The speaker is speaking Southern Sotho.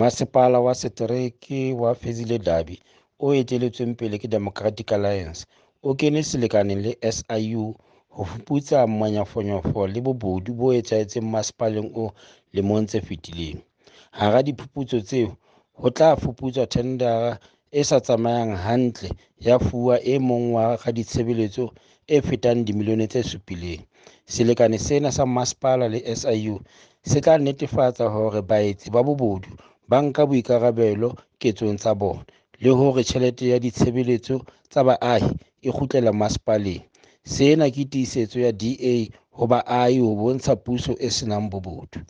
Masepala wa Setereke wa Fezile Dabi o eteletsweng pele ke Democratic Alliance o kene selekaneng le SIU ho fuputsa manyofonyofo le bobodu bo etsahetseng masepaleng oo lemong tse fetileng. Hara diphuputso tseo ho tla fuputswa thendara e sa tsamayang hantle ya fuwa e mong wa raditshebeletso e fetang dimilione tse 7. Selekane sena sa masepala le SIU se tla netefatsa hore baetsi ba bobodu ba nka boikarabelo ketsong tsa bona le hore tjhelete ya ditshebeletso tsa baahi e kgutlela masepaleng. Sena ke tiisetso ya DA ho baahi ho bontsha puso e senang bobodu.